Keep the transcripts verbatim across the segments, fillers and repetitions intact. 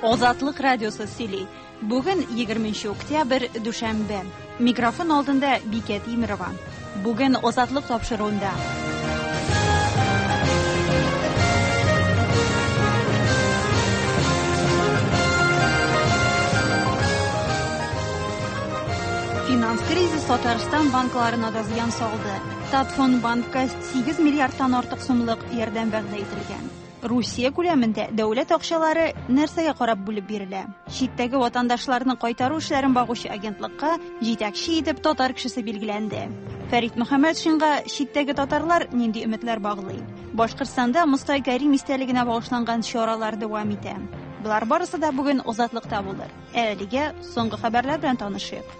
Азатлык радиосы сөйли. Бүген егерменче октябрь, дүшәмбе. Микрофон алдында Бикә Тимирова. Бүген Азатлык тапшыруында. Финанс кризис Татарстан банкларына да зыян салды. Татфондбанкка сигез миллиардтан артык сумлык ярдәм вәгъдә ителгән. Русия күләмендә дәүләт акчалары нәрсәгә карап бүлеп бирелә? Читтәге ватандашларны кайтару эшләрен багучы агентлыкка җитәкче итеп татар кешесе билгеләнде. Фәрит Мөхәммәтшинга читтәге татарлар нинди өметләр баглый? Башкортстанда Мостай Кәрим истәлегенә багышланган чаралар дәвам итә. Болар барысы да бүген Азатлыкта булыр. Ә әлегә соңгы хәбәрләр белән танышыйк.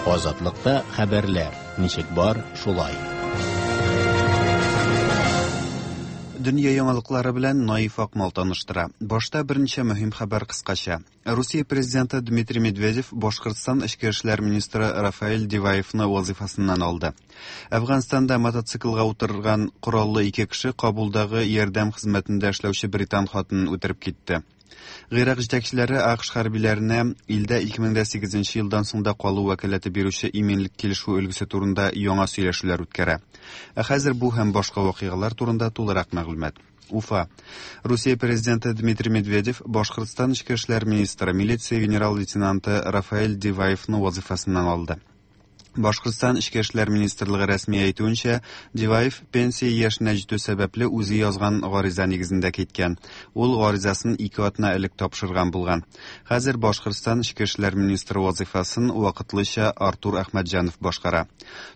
Азатлыкта хәбәрләр ничек бар, шулай. Дөнья яңалыклары белән Наиф Акмал таныштыра. Башта берничә мөһим хәбәр кыскача. Русия президенты Дмитрий Медведев Башкортстан эчке эшләр министры Рафаэль Диваевны вазифасыннан алды. Әфганстанда мотоциклга утырган кораллы ике кеше Кабулдагы ярдәм хезмәтендә эшләүче британ хатынын үтереп китте. Гыйрак җитәкчеләре АКШ хәрбиләренә илдә ике мең дә сигезенче елдан соң да калу вәкаләте бирүче иминлек килешү өлгесе турында яңа сөйләшүләр үткәрә. Ә хәзер бу һәм башка вакыйгалар турында тулырак мәгълүмат. Уфа. Русия президенты Дмитрий Медведев Башкортстан эчке эшләр министры, милиция генерал-лейтенанты Рафаэль Диваевны вазифасыннан алды. Башкортстан эчке эшләр министрлыгы рәсми әйтүенчә, Диваев пенсия яшенә җитү сәбәпле үзе язган гариза нигезендә киткән. Ул гаризасын ике атна элек тапшырган булган. Хәзер Башкортстан эчке эшләр министры вазифасын вакытлыча Артур Әхмәтҗанов башкара.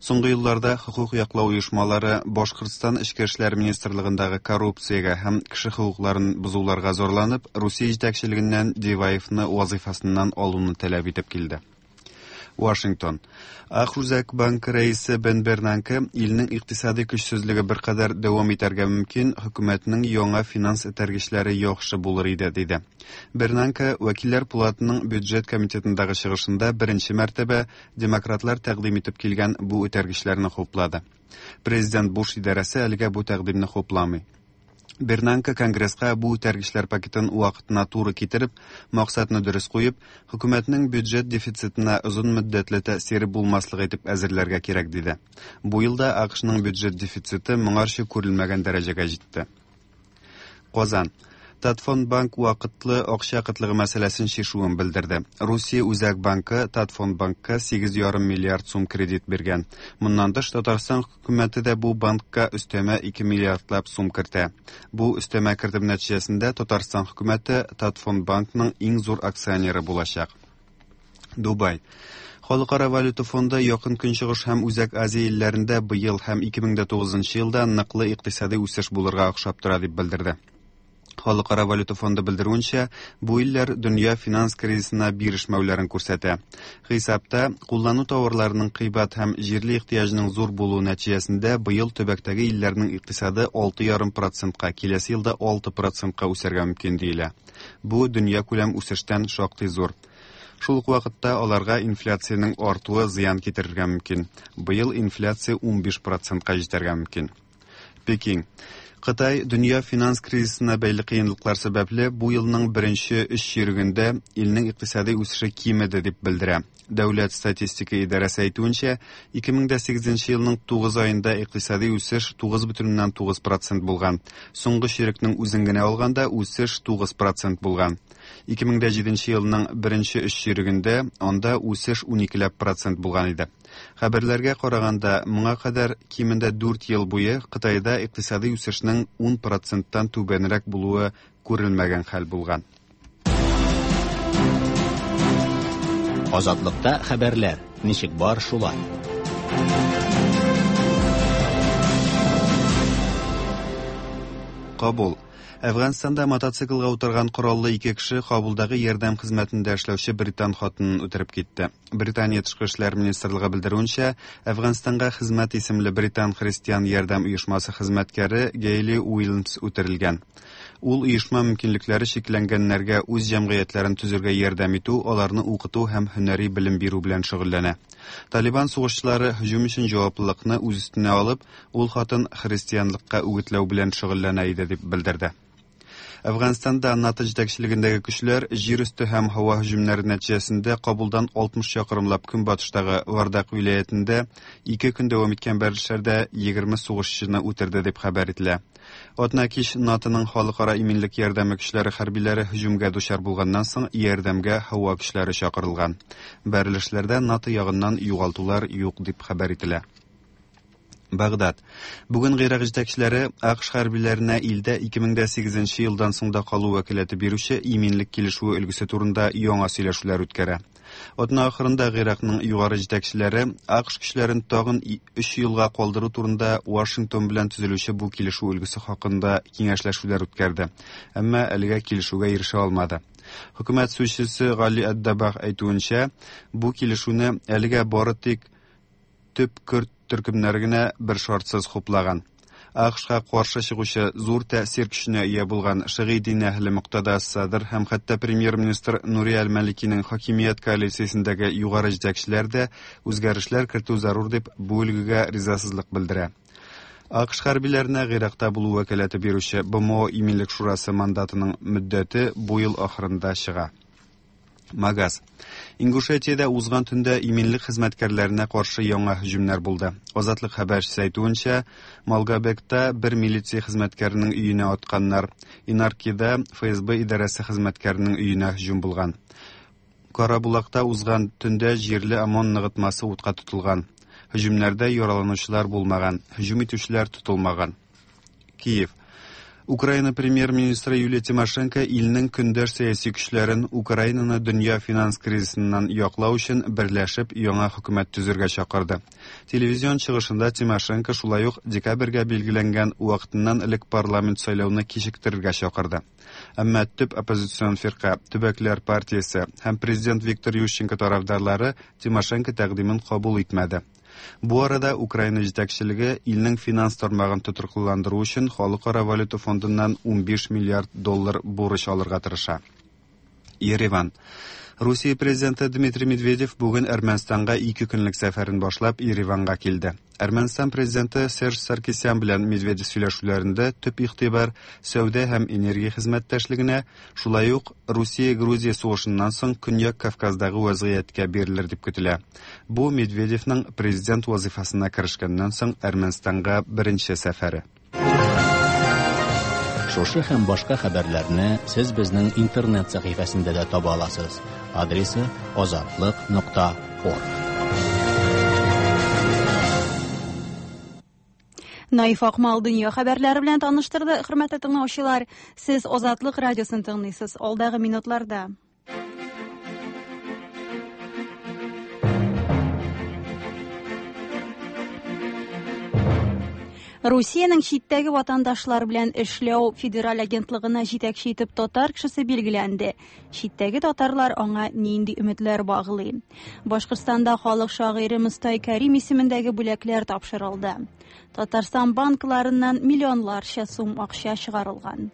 Соңгы елларда хокук яклау оешмалары Башкортстан эчке эшләр министрлыгындагы коррупциягә һәм кеше хокукларын бозуларга зарланып, Русия җитәкчелегеннән Диваевны вазифасыннан алуны таләп итеп килде. Вашингтон. АКШ Үзәк банкы рәисе Бен Бернанке илнең икътисади көчсезлеге беркадәр дәвам итәргә мөмкин, хөкүмәтнең яңа финанс этәргечләре яхшы булыр иде, диде. Бернанке Вәкилләр палатының бюджет комитетындагы чыгышында беренче мәртәбә демократлар тәкъдим итеп килгән бу этәргечләрне хуплады. Президент Буш идарәсе әлегә бу тәкъдимне хупламый. Бернанке Конгресска бу үтәргечләр пакетын вакытына туры китереп, максатны дөрес куеп, хөкүмәтнең бюджет дефицитына озын мөддәтле тәэсире булмаслык итеп әзерләргә кирәк, диде. Бу елда АКШның бюджет дефициты моңарчы күрелмәгән дәрәҗәгә җитте. Казан. Татфондбанк вакытлы акча кытлыгы мәсьәләсен чишүен белдерде. Русия Үзәк банкы Татфондбанкка сигез ярым миллиард сум кредит биргән. Моннан тыш Татарстан хөкүмәте дә бу банкка өстәмә ике миллиардлап сум кертә. Бу өстәмә кертем нәтиҗәсендә Татарстан хөкүмәте Татфондбанкның иң зур акционеры булачак. Дубай. Халыкара валюта фонды Якын Көнчыгыш һәм Үзәк Азия илләрендә быел һәм ике мең дә тугызынчы елда ныклы икътисади үсеш булырга охшап тора дип белдерде. Халыкара валюта фонды белдерүенчә, бу илләр дөнья финанс кризисына бирешмәүләрен күрсәтә. Хисапта, куллану товарларының кыйбат һәм җирле ихтыяҗының зур булуы нәтиҗәсендә быел төбәктәге илләрнең икътисады алты ярым процентка, киләсе елда алты процентка үсәргә мөмкин диелә. Бу дөнья күләм үсештән шактый зур. Шул ук вакытта аларга инфляциянең артуы зыян китерергә мөмкин. Быел инфляция унбиш процентка җитәргә мөмкин. Пекин. Кытай дөнья финанс кризисына бәйле кыенлыклар сәбәпле бу елның беренче өч чирегендә илнең икътисади үсеше кимеде дип белдерә. Дәүләт статистика идарәсе әйтүенчә, ике мең дә сигезенче елның тугыз аенда икътисади үсеш тугыз бөтен уннан тугыз процент булган. Соңгы чирекнең үзен генә алганда үсеш тугыз процент булган. Ике мең дә җиденче елның беренче өч чирегендә анда үсеш уникеләп процент булган иде. Хәбәрләргә караганда, моңа кадәр кимендә дүрт ел буе Кытайда икътисади үсешнең ун проценттан түбәнрәк булуы күрелмәгән хәл булган. Азатлыкта хәбәрләр ничек бар, шулай. Кабул. Әфганстанда мотоциклга утырган кораллы ике кеше Кабулдагы ярдәм хезмәтендә эшләүче британ хатынын үтереп китте. Британия тышкы эшләр министрлыгы белдерүенчә, Әфганстанга хезмәт исемле британ христиан ярдәм оешмасы хезмәткәре Гейли Уильямс үтерелгән. Ул оешма мөмкинлекләре чикләнгәннәргә үз җәмгыятьләрен төзергә ярдәм итү, аларны укыту һәм һөнәри белем бирү белән шөгыльләнә. Талибан сугышчылары һөҗүм өчен җаваплылыкны үз өстенә алып, ул хатын христианлыкка үгетләү белән шөгыльләнә иде дип белдерде. Әфганстанда НАТО җитәкчелегендәге көчләр җир өсте һәм һава һөҗүмнәре нәтиҗәсендә Кабулдан алтмыш чакрымлап көнбатыштагы Вардак вилаятендә ике көн дәвам иткән бәрелешләрдә егерме сугышчыны үтерде дип хәбәр ителә. Атна кич НАТОның халыкара иминлек ярдәме көчләре хәрбиләре һөҗүмгә дучар булганнан соң ярдәмгә һава көчләре чакырылган. Бәрелешләрдә НАТО ягыннан югалтулар юк дип хәбәр ителә. Багдад. Бүген Гыйрак җитәкчеләре АКШ хәрбиләренә илдә ике мең дә сигезенче елдан соң да калу вәкаләте бирүче иминлек килешүе өлгесе турында яңа сөйләшүләр үткәрә. Атна ахырында Гыйракның югары җитәкчеләре АКШ көчләрен тагын өч елга калдыру турында Вашингтон белән төзелүче бу килешү өлгесе хакында киңәшләшүләр үткәрде. Әмма әлегә килешүгә ирешә алмады. Хөкүмәт сүзчесе Гали Ад-Дабах әйтүенчә, бу килешүне әлегә бары тик төп көрд төркемнәре генә бер шартсыз хуплаган. АКШка каршы чыгучы зур тәэсир көченә ия булган шигый дин әһле Муктада Садр һәм хәтта премьер-министр Нури Аль-Маликиның хакимият коалициясендәге югары җитәкчеләр дә үзгәрешләр кертү зарур дип бу өлгегә ризасызлык белдерә. АКШ хәрбиләренә Гыйракта булу вәкаләте бирүче БМО Иминлек шурасы мандатының мөддәте бу ел ахырында чыга. Магаз. Ингушетиядә узган төндә иминлек хезмәткәрләренә каршы яңа һөҗүмнәр булды. Азатлык хәбәрчесе әйтүенчә, Малгобекта бер милиция хезмәткәренең өенә атканнар. Инаркида ФСБ идарәсе хезмәткәренең өенә һөҗүм булган. Карабулакта узган төндә җирле ОМОН ныгытмасы утка тотылган. Һөҗүмнәрдә яраланучылар булмаган, һөҗүм итүчеләр тотылмаган. Киев. Украина премьер-министры Юлия Тимошенко илнең көндәш сәяси көчләрен Украинаны дөнья финанс кризисыннан яклау өчен берләшеп яңа хөкүмәт төзергә чакырды. Телевизион чыгышында Тимошенко шулай ук декабрьгә билгеләнгән вакытыннан элек парламент сайлауны кичектерергә чакырды. Әмма төп оппозицион фирка, Төбәкләр партиясе һәм президент Виктор Ющенко тарафдарлары Тимошенко тәкъдимен кабул итмәде. Бу арада Украина җитәкчелеге илнең финанс тармагын тотрыклыландыру өчен Халыкара валюта фондыннан унбиш миллиард доллар бурыч алырга тырыша. Ереван. Русия президенты Дмитрий Медведев бүген Әрмәнстанга ике көнлек сәфәрен башлап Ереванга килде. Әрмәнстан президенты Серж Саркисян белән Медведев сөйләшүләрендә төп игътибар сәүдә һәм энергия хезмәттәшлегенә, шулай ук Русия-Грузия сугышыннан соң Көньяк Кавказдагы вазгыятькә бирелер дип көтелә. Бу Медведевның президент вазифасына керешкәннән соң Әрмәнстанга беренче сәфәре. Шушы һәм башка хәбәрләрне сез безнең интернет сәхифәсендә дә таба аласыз. Адресы азатлык нокта орг. Наиф Акмал дөнья хәбәрләре белән таныштырды. Хөрмәтле тыңлаучылар, сез Азатлык радиосын тыңлыйсыз. Алдагы минутларда Русиянең читтәге ватандашлар белән эшләү федераль агентлыгына җитәкче итеп татар кешесе билгеләнде. Читтәге татарлар аңа нинди өметләр баглый? Башкортстанда халык шагыйре Мостай Кәрим исемендәге бүләкләр тапшырылды. Татарстан банкларыннан миллионларча сум акча чыгарылган.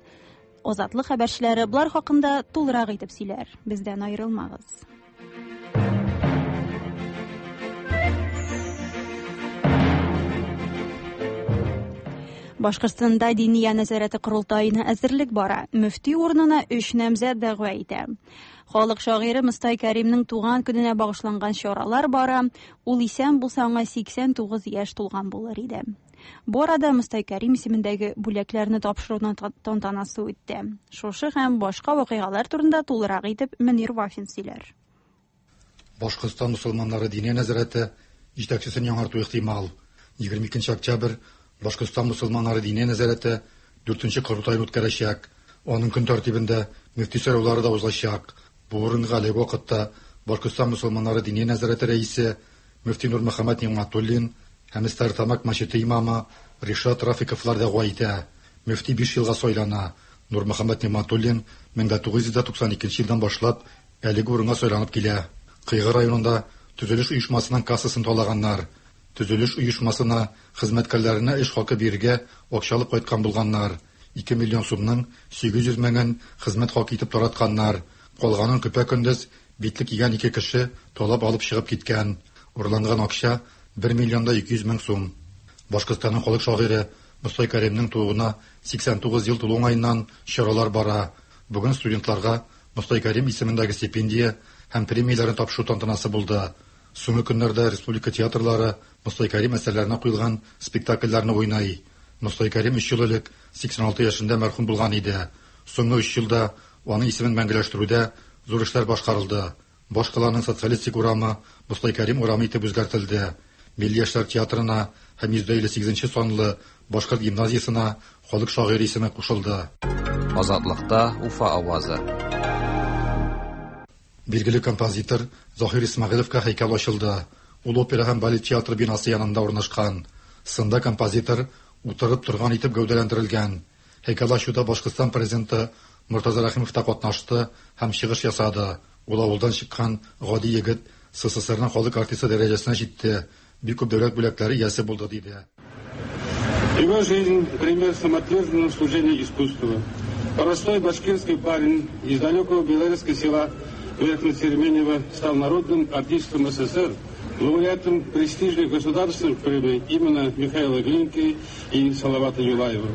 Азатлык хәбәрчеләре болар хакында тулырак итеп сөйләр. Бездән аерылмагыз. Башкортстанда Диния нәзарәте корылтаена әзерлек бара. Мөфти урынына өч намзәт дәгъва итә. Халык шагыйре Мостай Кәримнең туган көненә багышланган чаралар бара. Ул исән булса аңа сиксән тугыз яшь тулган булыр иде. Бу арада Мостай Кәрим исемендәге бүләкләрне тапшыруның тантанасы үтте. Шушы һәм башка вакыйгалар турында тулырак итеп Мөнир Вафин сөйләр. Башкортстан мусульманнары Диния нәзарәте җитәкчесен яңарту ихтимал. егерме икенче октябрь Башкортстан мусульманнары Диния нәзарәте дүртенче корылтайын үткәрәчәк. Аның көн тәртибендә мөфти сайлаулары да узачак. Бу урынга әлеге вакытта Башкортстан мусульманнары Диния нәзарәте рәисе мөфти Нурмөхәммәт Нигъмәтуллин һәм Стәрлетамак мәчете имамы Ришат Рафиковлар дәгъва итә. Мөфти биш елга сайлана. Нурмөхәммәт Нигъмәтуллин мең дә тугыз йөз туксан икенче елдан башлап әлеге урынга сайланып килә. Кыйгы районында төзелеш оешмасының кассасын талаганнар. Төзелеш оешмасына хезмәткәрләренә эш хакы бирергә акча алып кайткан булганнар. ике миллион сумның сигез йөз меңен хезмәт хакы итеп таратканнар. Калганын көпә-көндез битлек кигән ике кеше талап алып чыгып киткән. Урланган акча бер миллион да ике йөз мең сум. Башкортстанның халык шагыйре Мостай Кәримнең тууына сиксән тугыз ел тулу уңаеннан чаралар бара. Бүген студентларга Мостай Кәрим исемендәге стипендия һәм премияләрен тапшыру тантанасы булды. Соңгы көннәрдә республика театрлары Мостай Кәрим әсәрләренә куелган спектакльләрне уйнай. Мостай Кәрим өч ел элек сиксән алты яшендә мәрхүм булган иде. Соңгы өч елда аның исемен мәңгеләштерүдә зур эшләр башкарылды. Башкаланың социалистик урамы Мостай Кәрим урамы итеп үзгәртелде. Милли яшьләр театрына һәм йөз илле сигезенче санлы Башкорт гимназиясенә халык шагыйре исеме кушылды. Азатлыкта Уфа авазы. Билгеле композитор Заһир Исмәгыйлевка һәйкәл ачылды. Ул опера һәм балет театры бинасы янында урнашкан. Сында композитор утырып торган итеп гәүдәләндерелгән. Һәйкәл ачуда Башкортстан президенты Мортаза Рәхимов та катнашты һәм чыгыш ясады. Ул авылдан чыккан гади егет СССРның халык артисты дәрәҗәсенә җитте. Бик күп дәүләт бүләкләре иясе булды, диде. Его жизнь пример самоотверженного служения искусству. Простой башкирский парень из далекого белорусского села Верхнесерменево стал народным артистом СССР, лауреатом престижных государственных премий именно Михаила Глинки и Салавата Юлаева.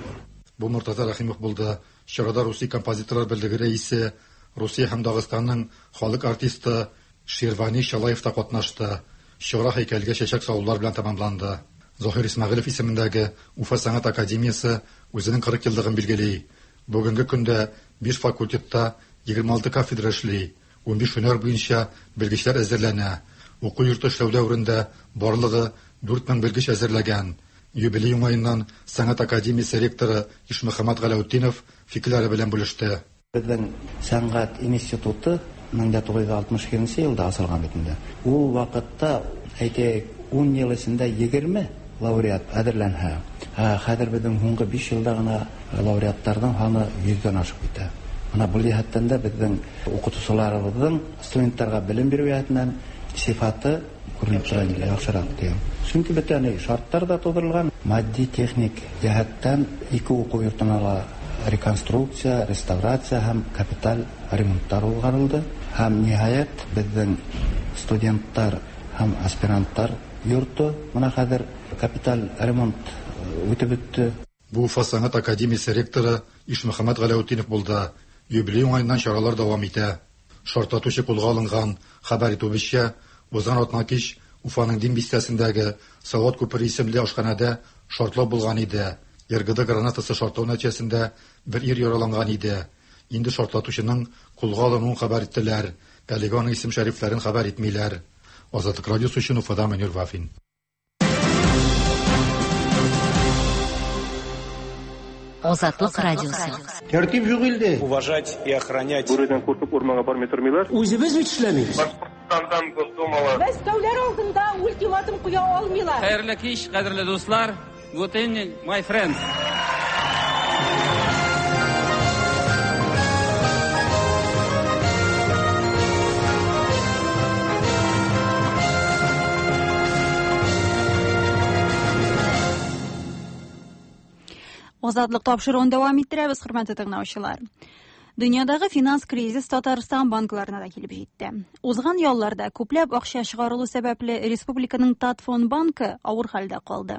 Бу Мортаза Рәхимов булды. Чарада Русия композиторлар берлеге рәисе, Русия һәм Дагыстанның халык артисты Ширвани Шалаев та катнашты. Чара һәйкәлгә чәчәк салулар белән тәмамланды. Заһир Исмәгыйлев исемендәге Уфа сәнгать академиясе үзенең кырык еллыгын билгели. Бүгенге көндә биш факультетта егерме алты кафедра эшли. Унбиш һөнәр буенча белгечләр әзерләнә. Уку йорты эшләү дәверендә барлыгы дүрт мең белгеч әзерләгән. Юбилей уңаеннан сәнгать академиясе ректоры Ишмөхәммәт Галәүтдинов фикерләре белән бүлеште. Безнең сәнгать институты мең дә тугыз йөз алтмыш икенче елда ачылган бит инде. Ул вакытта, әйтәйек, ун ел эчендә егерме лауреат әзерләнә. Хәзер безнең һуңгы биш елда гына лауреатларның саны йөздән ашып китә. Менә бу җәһәттән дә безнең укытучыларыбызның студентларга белем бирү җәһәтеннән сифаты күренеп тора инде, яхшырак дигән. Чөнки бөтен шартлар да тудырылган. Матди, техник җәһәттән ике уку йортына ла реконструкция, реставрация һәм капиталь ремонтлар уҙғарылды. Һәм ниһаять безнең студентлар һәм аспирантлар йорты менә хәзер капиталь ремонт үтеп бетте. Бу Уфа сәнгать академиясе ректоры Ишмөхәммәт Галәүтдинов булды. Юбилей уңаеннан чаралар дәвам итә. Шартлатучы кулга алынган. Хәбәр итүебезчә, узган атна кич Уфаның Дим бистәсендәге Салават күпере исемле ашханәдә шартлау булган иде. РГД гранатасы шартлау нәтиҗәсендә бер ир яраланган иде. Инде шартлатучының кулга алынуын хәбәр иттеләр. Әлегә аның исем-шәрифләрен хәбәр итмиләр. Азатлык радиосы өчен Уфадан Мөнир Вафин. Азатлык радиосы. Тәртип юк илдә. Уважать и охранять. Бүредән куркып урманга бармый тормыйлар. Үзебез бит эшләмибез. Башкортстандан Госдумала. Мәскәүләр алдында ультиматум куя алмыйлар. Хәерле кич, кадерле дуслар. Good evening, my friends. Азатлык тапшыруын дәвам иттерәбез, хөрмәтле тыңлаучылар. Дөньядагы финанс кризис Татарстан банкларына да килеп җитте. Узган ялларда күпләп акча чыгарылу сәбәпле республиканың Татфонбанкы авыр хәлдә калды.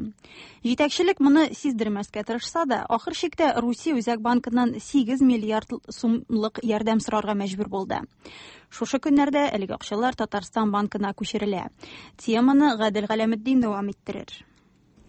Җитәкчелек моны сиздермәскә тырышса да, ахыр чиктә Русия Үзәк банкыннан сигез миллиард сумлык ярдәм сорарга мәҗбүр булды. Шушы көннәрдә әлеге акчалар Татарстан банкына күчерелә. Теманы Гадел Галәметдин дәвам иттерер.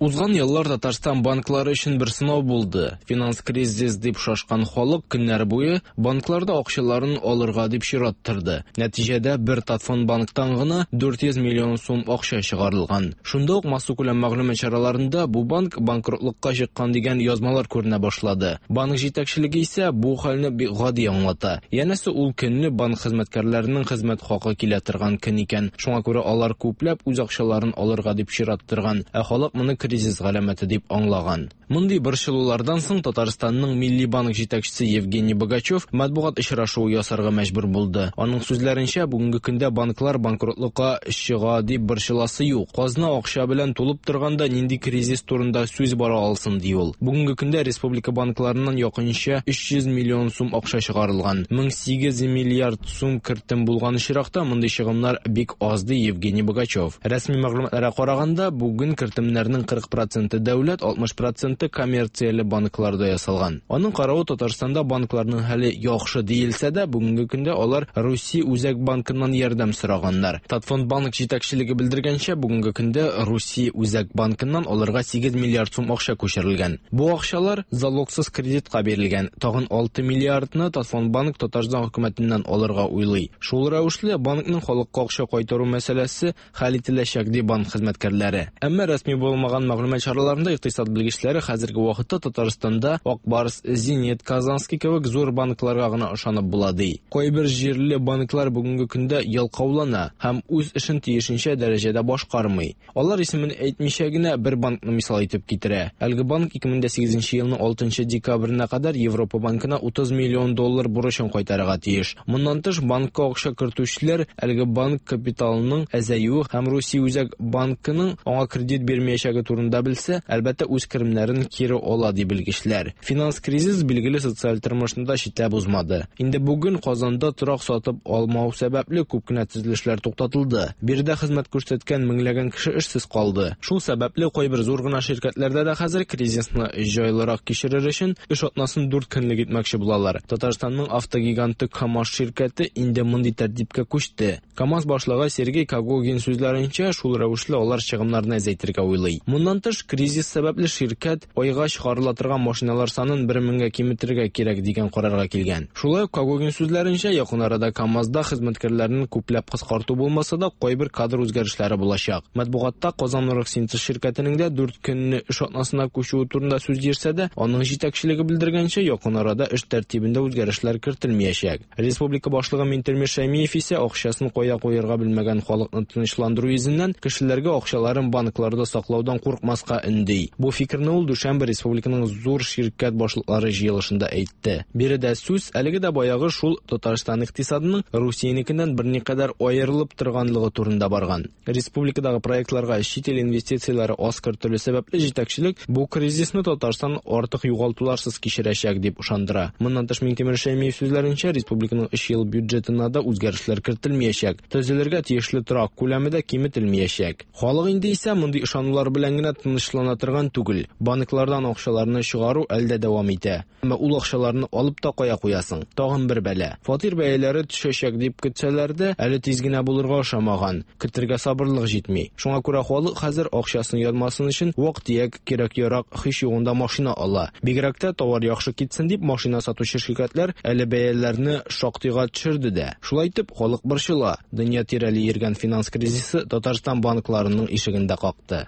Узган еллар Татарстан банклары өчен бер сынау булды. Финанс кризис дип шашкан халык көннәр буе банкларда акчаларын алырга дип чират торды. Нәтиҗәдә бер Татфонбанктан гына дүрт йөз миллион сум акча чыгарылган. Шунда ук массакүләм мәгълүмат чараларында бу банк банкротлыкка чыккан дигән язмалар күренә башлады. Банк җитәкчелеге исә бу хәлне бик гади аңлата. Янәсе ул көнне банк хезмәткәрләренең хезмәт хакы килә торган көн икән. Шуңа күрә алар күпләп үз акчаларын алырга дип чират торган. Ә халык моны кризис галәмәте дип аңлаган. Мондый борчылулардан соң Татарстанның Милли банк җитәкчесе Евгений Богачев матбугат очрашуы ясарга мәҗбүр булды. Аның сүзләренчә, бүгенге көндә банклар банкротлыкка чыга дип борчыласы юк. Казна акча белән тулып торганда нинди кризис турында сүз бара алсын, ди ул. Бүгенге көндә республика банкларыннан якынча өч йөз миллион сум акча чыгарылган. мең сигез миллиард сум кертем булган очракта мондый чыгымнар бик аз, ди Евгений Богачев. Рәсми мәгълүматларга караганда, бүген кертемнәрнең кырык проценты дәүләт, алтмыш проценты коммерцияле банкларда ясалган. Аның каравы Татарстанда банкларның хәле яхшы диелсә дә, бүгенге көндә алар Русия Үзәк банкыннан ярдәм сораганнар. Татфондбанк җитәкчелеге белдергәнчә, бүгенге көндә Русия Үзәк банкыннан аларга сигез миллиард сум акча күчерелгән. Бу акчалар залогсыз кредитка бирелгән. Тагын алты миллиардны Татфондбанк Татарстан хөкүмәтеннән алырга уйлый. Шул рәвешле банкның халыкка акча кайтару мәсьәләсе хәл ителәчәк, ди банк хезмәткәрләре. Әмма рәсми булмаган мәгълүмат чараларында икътисад белгечләре хәзерге вакытта Татарстанда Ак Барс, Зенит, Казанский кебек зур банкларга гына ышанып була, ди. Кайбер җирле банклар бүгенге көндә ялкаулана һәм үз эшен тиешенчә дәрәҗәдә башкармый. Алар исемен әйтмичә генә бер банкны мисал итеп китерә. Әлеге банк ике мең дә сигезенче елның алтынчы декабренә кадәр Европа банкына утыз миллион доллар бурычын кайтарырга тиеш. Моннан тыш банкка акча кертүчеләр әлеге банк капиталының әзәюе һәм Русия Үзәк банкының аңа кредит бирмәячәге турында белсә, әлбәттә үз керемнәрен кире ала, ди белгечләр. Финанс кризис билгеле социаль тормышны да читләп узмады. Инде бүген Казанда торак сатып алмау сәбәпле күп кенә төзелешләр туктатылды. Биредә хезмәт күрсәткән меңләгән кеше эшсез калды. Шул сәбәпле кайбер зур гына ширкәтләрдә дә хәзер кризисны җайлырак кичерер өчен эш атнасын дүрт көнлек итмәкче булалар. Татарстанның автогиганты КАМАЗ ширкәте инде мондый тәртипкә күчте. КАМАЗ башлыгы Сергей Когогин сүзләренчә, шул рәвешле алар чыгымнарны әзәйтергә уйлый. Моннан тыш, кризис сәбәпле ширкәт айга чыгарыла торган машиналар санын бер меңгә киметергә кирәк дигән карарга килгән. Шулай ук Когогин сүзләренчә, якын арада КАМАЗда хезмәткәрләрен күпләп кыскарту булмаса да, кайбер кадр үзгәрешләре булачак. Матбугатта Казан Оргсинтез ширкәтенең дә дүрт көнне эш атнасына күчүе турында сүз йөрсә дә, аның җитәкчелеге белдергәнчә, якын арада эш тәртибендә үзгәрешләр кертелмәячәк. Республика башлыгы Минтимер Шәймиев исә акчасын кая куярга белмәгән халыкны тынычландыру йөзеннән кешеләргә акчаларын банкларда саклаудан куркмаска өнди. Бу фикерне ул дүшәмбе республиканың зур ширкәт башлыклары җыелышында әйтте. Биредә сүз әлеге дә баягы шул Татарстан икътисадының Русиянекеннән берникадәр аерылып торганлыгы турында барган. Республикадагы проектларга чит ил инвестицияләре аз кертелү сәбәпле җитәкчелек бу кризисны Татарстан артык югалтуларсыз кичерәчәк дип ышандыра. Моннан тыш Минтимер Шәймиев сүзләренчә, республиканың өч ел бюджетына да үзгәрешләр кертелмәячәк. Төзелергә тиешле торак күләме дә киметелмәячәк. Халык инде исә мондый ышанулар белән генә тынычлана торган түгел. Банклардан акчаларны чыгару әлдә дәвам итә. Әмма ул акчаларны алып та кая куясың? Тагын бер бәла. Фатир бәяләре төшәчәк дип көтсәләр дә, әле тиз генә булырга ошамаган. Көтергә сабырлык җитми. Шуңа күрә халык хәзер акчасын янмасын өчен вак-төяк кирәк-ярак һич югында машина ала. Бигрәк тә товар яхшы китсен дип машина сатучы ширкәтләр әле бәяләрне шактыйга төшерде дә. Шулай итеп халык борчыла. Дөнья тирәли йөргән финанс кризисы Татарстан банкларының ишеген дә какты.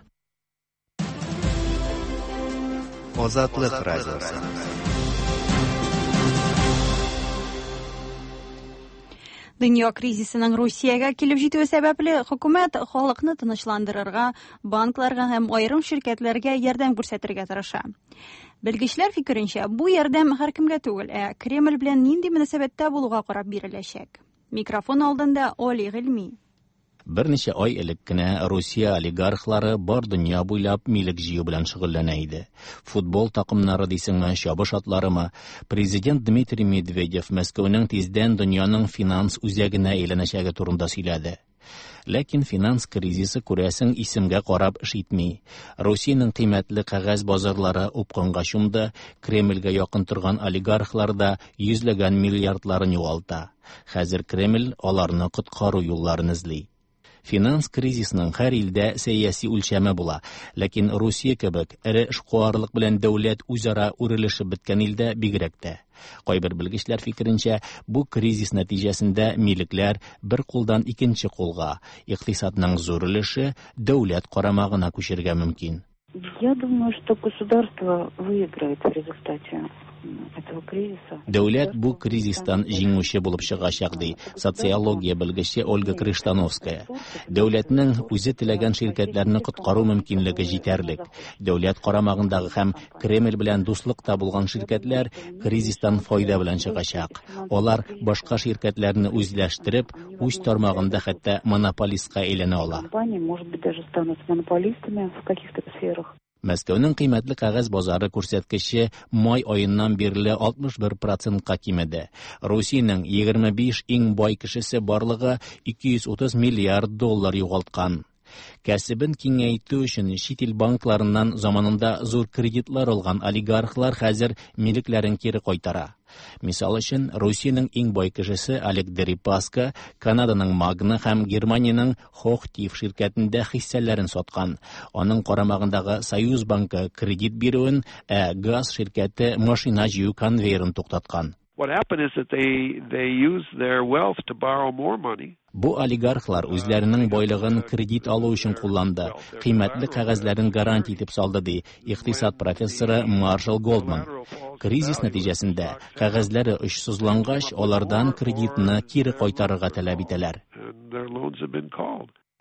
Азатлык радиосы. Дөнья кризисының Русиягә килеп җитүе сәбәпле хөкүмәт халыкны тынычландырырга, банкларга һәм аерым ширкәтләргә ярдәм күрсәтергә тырыша. Белгечләр фикеренчә, бу ярдәм һәркемгә түгел, ә Кремль белән нинди мөнәсәбәттә булуга карап биреләчәк. Микрофон алдында Оли Гыйльми. Берничә ай элек кенә Русия олигархлары бар дөнья буйлап милек җыю белән шөгыльләнә иде. Футбол такымнары дисеңме, чабыш атларымы, президент Дмитрий Медведев Мәскәүнең тиздән дөньяның финанс үзәгенә әйләнәчәге турында сөйләде. Ләкин финанс кризисы күрәсең исемгә карап эш итми. Русиянең кыйммәтле кәгазь базарлары упкынга чумды, Кремльгә якын торган олигархлар да йөзләгән миллиардларын югалта. Хәзер Кремль аларны коткару юлларын эзли. Финанс кризисының һәр илдә сәяси үлчәме була, ләкин Русия кебек эре эшкуарлык белән дәүләт үзара үрелешеп беткән илдә бигрәк тә. Кайбер белгечләр фикеренчә, бу кризис нәтиҗәсендә милекләр бер кулдан икенче кулга, икътисадның зур өлеше дәүләт карамагына күчергә мөмкин. Я думаю, что государство выиграет в результате этого кризиса. Дәүләт бу кризистан җиңүче булып чыгачак, ди социология белгече Ольга Крыштановская. Дәүләтнең үзе теләгән ширкәтләрне коткару мөмкинлеге җитәрлек. Дәүләт карамагындагы һәм Кремль белән дуслыкта булган ширкәтләр кризистан файда белән чыгачак. Алар башка ширкәтләрне үзләштереп, үз тармагында хәтта монополистка әйләнә ала. Компании, может быть, даже станут монополистами в каких-то сферах. Мәскәүнең кыйммәтле кәгазь базары күрсәткече май аеннан бирле алтмыш бер процентка кимеде. Русиянең егерме биш иң бай кешесе барлыгы ике йөз утыз миллиард доллар югалткан. Кәсебен киңәйтү өчен чит ил банкларыннан заманында зур кредитлар алган олигархлар хәзер милекләрен кире кайтара. Мисал өчен, Русиянең иң бай кешесе Олег Дерипаска Канаданың Магна һәм Германиянең Hochtief ширкәтендә хиссәләрен саткан. Аның карамагындагы Союз банкы кредит бирүен, ә газ ширкәте машина җыю конвейерын туктаткан. What happened is that they, they used their wealth to borrow more money. Бу олигархлар үзләренең байлыгын кредит алу өчен кулланды, кыйммәтле кәгазьләрен гарантия итеп салды, ди икътисад профессоры Маршал Голдман. Кризис нәтиҗәсендә кәгазьләре очсызлангач, алардан кредитны кире кайтарырга таләп итәләр.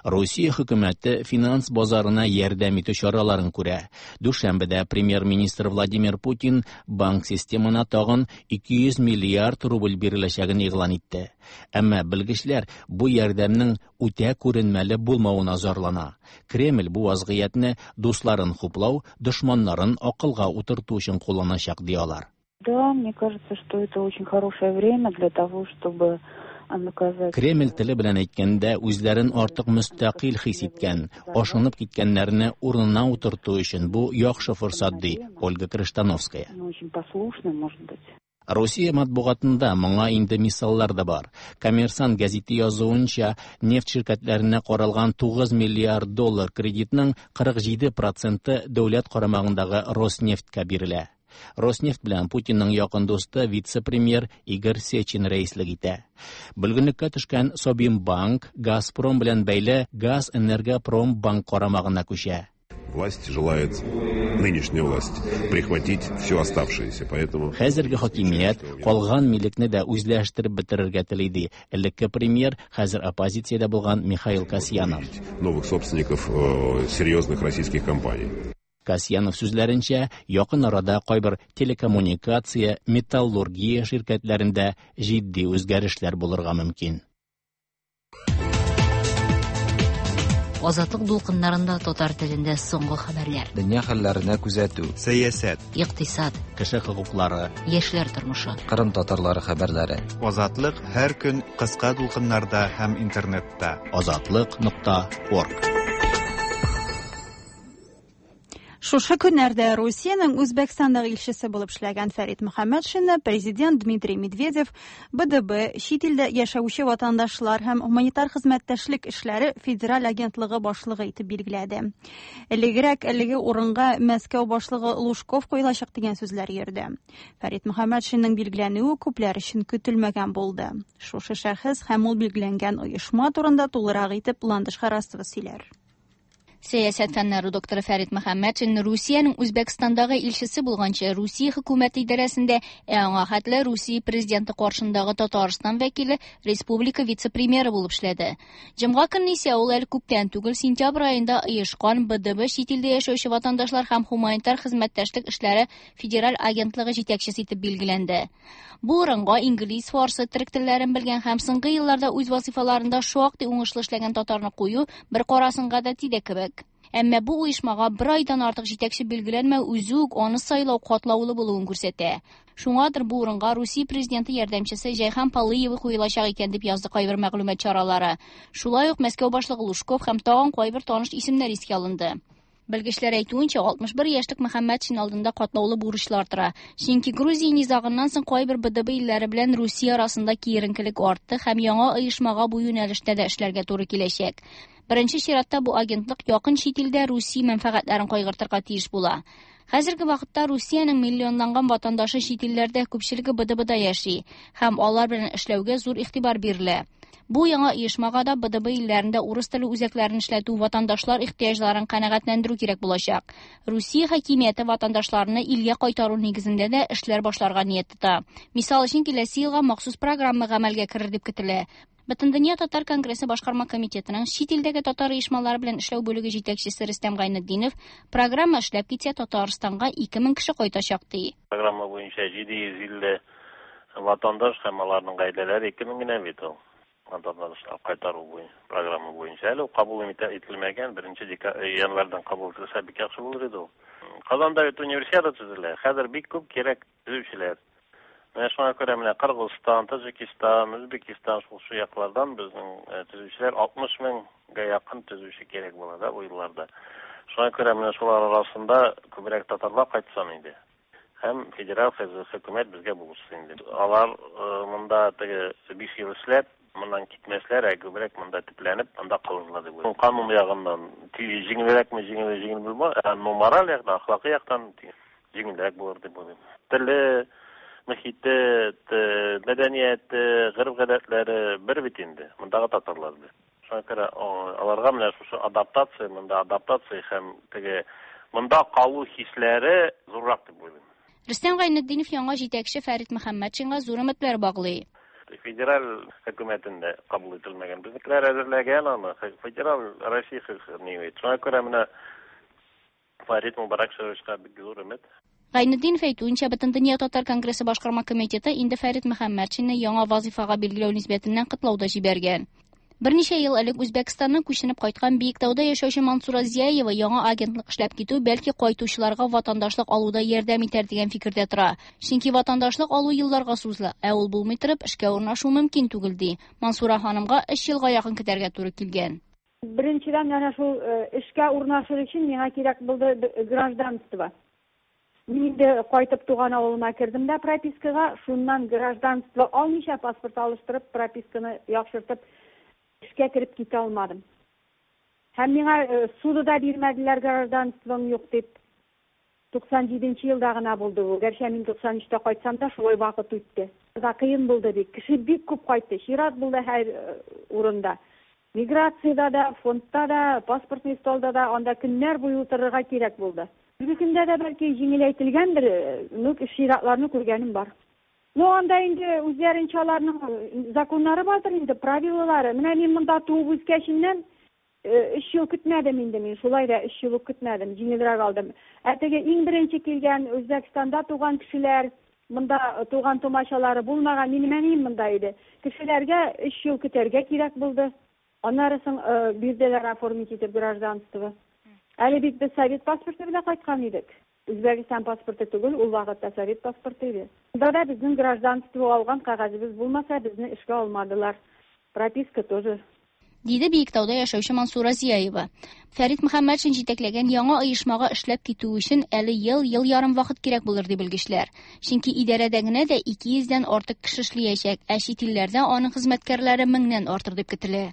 Русия хөкүмәте финанс базарына ярдәм итү чараларын күрә. Дүшәмбедә премьер-министр Владимир Путин банк системына тагын ике йөз миллиард рубль биреләчәген игълан итте. Әмма белгечләр бу ярдәмнең үтә күренмәле булмавына зарлана. Кремль бу вазгыятьне дусларын хуплау, дошманнарын акылга утырту өчен кулланачак, ди алар. Да, мне кажется, что это очень хорошее время для того, чтобы Кремль теле белән әйткәндә, үзләрен артык мөстәкыйль хис иткән, ашынып киткәннәрне урынына утырту өчен бу яхшы форсат, ди Ольга Крыштановская. Русия матбугатында моңа инде мисаллар да бар. Коммерсант гәзите язуынча, нефть ширкәтләренә каралган тугыз миллиард доллар кредитның кырык җиде проценты дәүләт карамагындагы Роснефтькә бирелә. Роснефть белән Путинның якын дусты вице-премьер Игорь Сечин рәислек итә. Бөлгенлеккә төшкән Собимбанк Газпром белән бәйле Газэнергопромбанк карамагына күчә. Власть желает, нынешняя власть, прихватить все оставшееся, поэтому... Хәзерге хакимият калган милекне дә үзләштереп бетерергә тели, ди элекке премьер, хәзер оппозициядә булган Михаил Касьянов. Новых собственников серьезных российских компаний. Касьянов сүзләренчә, якын арада кайбер телекоммуникация, металлургия ширкәтләрендә җитди үзгәрешләр булырга мөмкин. Азатлык дулкыннарында татар телендә соңгы хәбәрләр. Дөнья хәлләренә күзәтү, сәясәт, икътисад, кеше хокуклары, яшьләр тормышы, Кырым татарлары хәбәрләре. Азатлык һәр көн кыска дулкыннарда һәм интернетта. Азатлык нокта орг. Шушы көннәрдә Русиянең Үзбәкстандагы илчесе булып эшләгән Фәрит Мөхәммәтшинны президент Дмитрий Медведев Б Д Б, чит илдә яшәүче ватандашлар һәм гуманитар хезмәттәшлек эшләре федераль агентлыгы башлыгы итеп билгеләде. Элегрәк әлеге урынга Мәскәү башлыгы Лужков куелачак дигән сүзләр йөрде. Фәрит Мөхәммәтшинның билгеләнүе күпләр өчен көтелмәгән булды. Шушы шәхес һәм ул билгеләнгән оешма турында тулырак итеп Ландыш Харасова сөйләр. Сәясәт фәннәре докторы Фәрит Мөхәммәтшин Русиянең Үзбәкстандагы илчесе булганчы Русия хөкүмәте идарәсендә, ә аңа хәтле Русия президенты каршындагы Татарстан вәкиле республика вице-премьеры булып эшләде. Җомга көнне исә ул әле күптән түгел сентябрь аенда оешкан Б Д Б чит илдә яшәүче ватандашлар һәм гуманитар хезмәттәшлек эшләре федераль агентлыгы җитәкчесе итеп билгеләнде. Бу урынга инглиз, фарсы, төрек телләрен белгән һәм соңгы елларда үз вазифаларында шактый уңышлы эшләгән татарны кую бер карасын гадәти дә кебек. Әмма бу оешмага бер айдан артык җитәкче билгеләнмәү үзе үк аны сайлау катлаулы булуын күрсәтә. Шуңадыр бу урынга Русия президенты ярдәмчесе Җәйхан Палыева куелачак икән дип язды кайбер мәгълүмат чаралары. Шулай ук Мәскәү башлыгы Лужков һәм тагын кайбер таныш исемнәр искә алынды. Белгечләр әйтүенчә, алтмыш бер яшьлек Мөхәммәтшин алдында катлаулы бурычлар тора. Чөнки Грузия низагыннан соң кайбер Б Д Б илләре белән Русия арасында киеренкелек артты һәм яңа оешмага бу юнәлештә дә эшләргә туры киләчәк. Беренче чиратта бу агентлык якын чит илдә Русия мәнфәгатьләрен кайгыртырга тиеш була. Хәзерге вакытта Русиянең миллионланган ватандашы чит илләрдә күпчелеге Б Д Б-да яши һәм алар белән эшләүгә зур игътибар бирелә. Бу яңа оешмага да Б Д Б илләрендә урыс теле үзәкләрен эшләтү, ватандашлар ихтыяҗларын канәгатьләндерү кирәк булачак. Русия хакимияте ватандашларны илгә кайтару нигезендә дә эшләр башларга ният тота. Мисал өчен, киләсе елга махсус программа гамәлгә керер дип көтелә. Бөтендөнья татар конгрессы башкарма комитетының чит илдәге татар оешмалары белән эшләү бүлеге җитәкчесе Рөстәм Гайнетдинов программа эшләп китсә Татарстанга ике мең кеше кайтачак ди. Программа буенча җиде йөз илле ватандаш һәм аларның гаиләләре ике мең генә бит ул. Ватандашлар кайтару буенча программа буенча әле кабул ителмәгән, беренче январьдан кабул ителсә бик яхшы булыр иде ул. Казанда бит универсиада төзелә. Хәзер бик күп кирәк төзүчеләр. Менә шуңа күрә менә Кыргызстан, Таҗикстан, Үзбекстан шул шу яклардан безнең төзүчеләр алтмыш меңгә якын төзүче кирәк була да бу елларда. Шуңа күрә менә шулар арасында күбрәк татарлар кайтсын инде. Һәм федераль хөкүмәт безгә булышсын инде. Алар монда теге биш ел эшләп, моннан китмәсләр, ә күбрәк монда төпләнеп, анда калырлар дип уйлыйм. Канун ягыннан җиңелрәкме, җиңел җиңел булмас, ә мораль яктан, әхлакый яктан җиңелрәк булыр дип уйлыйм. Теле, мөхите, мәдәнияте, гореф-гадәтләре бер бит инде. Мондагы татарлар бит. Шуңа күрә аларга менә шушы адаптация, монда адаптация һәм теге монда калу хисләре зуррак дип уйлыйм. Рөстәм Гайнетдинов яңа җитәкче Фәрит Мөхәммәтшинга зур өметләр баглый. Федераль хөкүмәтендә кабул ителмәгән. Безнекеләр әзерләгән аны. Федераль Россия хөкүмәте. Шуңа күрә менә Фәрит Мубаракшевичка бик зур өмет. Гайнетдинов әйтүенчә, Бөтендөнья татар конгрессы башкарма комитеты инде Фәрит Мөхәммәтшинны яңа вазифага билгеләү нисбәтеннән котлау да җибәргән. Берничә ел элек Үзбәкстаннан күченеп кайткан Биектауда яшәүче Мансура Зияева яңа агентлык эшләп китү бәлки кайтучыларга ватандашлык алуда ярдәм итәр дигән фикердә тора. Чөнки ватандашлык алу елларга сузыла, ә ул булмый торып эшкә урнашу мөмкин түгел ди. Мансура ханымга өч елга якын көтәргә туры килгән. Беренчедән, әнә шул эшкә урнашу өчен миңа кирәк булды гражданство. Мин инде кайтып туган авылыма кердем дә пропискага, шуннан гражданство алмыйча паспорт алыштырып, прописканы яхшыртып эшкә кереп китә алмадым. Һәм миңа суды да бирмәделәр гражданством юк дип. туксан җиденче елда гына булды бу. Гәрчә мин туксан өчтә кайтсам да шулай вакыт үтте. Да кыен булды бик. Кеше бик күп кайтты. Чират булды һәр урында. Миграциядә дә, фондта да, паспортный столда да анда көннәр буе утырырга кирәк булды. Бүгенге көндә дә бәлки җиңеләйтелгәндер, ну чиратларны күргәнем бар. Ну анда инде үзләренчә аларның законнары бардыр инде, правилалары. Менә мин монда туып үскәченнән өч ел көтмәдем инде мин, шулай да өч ел көтмәдем, җиңелрәк алдым. Ә теге иң беренче килгән Үзбәкстанда туган кешеләр, монда туган тумачалары булмаган, минем әнием монда иде. Кешеләргә өч ел көтәргә кирәк булды. Аннары соң бирделәр оформить итеп гражданство. Әле бит без совет паспорты белән кайткан идек. Үзбәкстан паспорты түгел, ул вакытта совет паспорты иде. Монда да безнең гражданство алган кәгазебез булмаса, безне эшкә алмадылар. Прописка тоже. Диде Биектауда яшәүче Мансура Зияева. Фәрит Мөхәммәтшин җитәкләгән яңа оешмага эшләп китү өчен әле ел, ел ярым вакыт кирәк булыр ди белгечләр. Чөнки идарәдә генә дә ике йөздән артык кеше эшләячәк, ә чит илләрдә аның хезмәткәрләре меңнән артыр дип көтелә.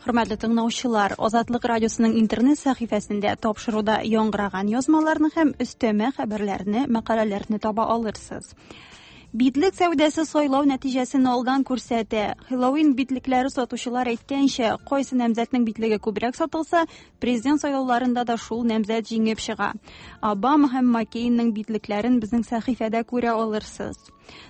Хөрмәтле тыңлаучылар, Азатлык радиосының интернет сәхифәсендә тапшыруда яңгыраган язмаларны һәм өстәмә хәбәрләрне, мәкаләләрне таба алырсыз. Битлек сәүдәсе сайлау нәтиҗәсен алдан күрсәтә. Хэллоуин битлекләре сатучылар әйткәнчә, кайсы намзәтнең битлеге күбрәк сатылса, президент сайлауларында да шул намзәт җиңеп чыга. Обама һәм Маккейнның битлекләрен безнең сәхифәдә күрә алырсыз.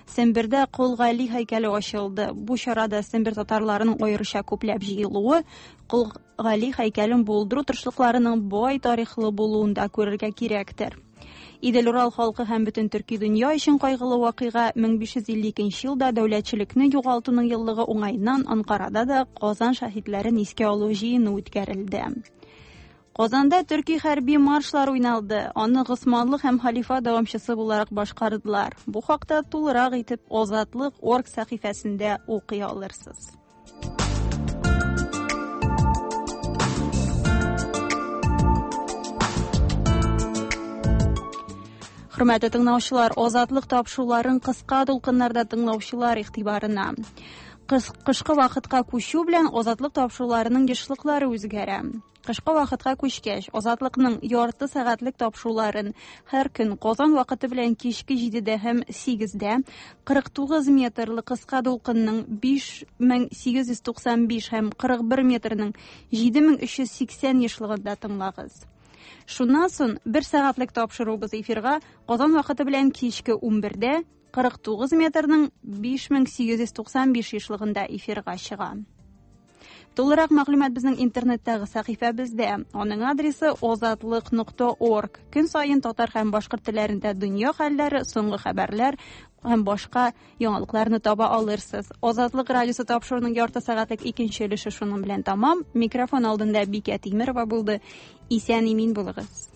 Сембердә Кол Гали һәйкәле ачылды. Бу чарада Сембер татарларының аеруча күпләп җыелуы, Кол Гали һәйкәлен булдыру тырышлыкларының бай тарихлы булуын да күрергә кирәктер. Идел-Урал халкы һәм бөтен төрки дөнья өчен кайгылы вакыйга мең биш йөз илле икенче елда дәүләтчелекне югалтуның еллыгы уңаеннан Анкарада да Казан шаһитләрен искә алу җыены үткәрелде. Казанда төрки хәрби маршлар уйналды. Аны Госманлы һәм халифа дәвамчысы буларак башкардылар. Бу хакта тулырак итеп Азатлык орг сәхифәсендә укый алырсыз. Хөрмәтле тыңлаучылар, Азатлык тапшыруларын кыска дулкыннарда тыңлаучылар игътибарына. Кышкы вакытка күчү белән Азатлык тапшыруларының ешлыклары үзгәрә. Кышкы вакытка күчкәч, Азатлыкның ярты сәгатьлек тапшыруларын һәр көн Казан вакыты белән кичке җидедә һәм сигездә кырык тугыз метрлы кыска дулкынның биш мең сигез йөз туксан биш һәм кырык бер метрның җиде мең өч йөз сиксән ешлыгында тыңлагыз. Шуннан соң бер сәгатьлек тапшыруыбыз эфирга Казан вакыты белән кичке унбердә кырык тугыз метрның биш мең сигез йөз туксан биш ешлыгында эфирга чыга. Тулырак мәгълүмат безнең интернеттагы сәхифәбездә. Аның адресы озатлык нокта орг. Көн саен татар һәм башкорт телләрендә дөнья хәлләре, соңгы хәбәрләр һәм башка яңалыкларны таба алырсыз. Азатлык радиосы тапшыруының ярты сәгатьлек икенче өлеше шуның белән тәмам. Микрофон алдында Бикә Тимерова булды. Исән-имин булыгыз.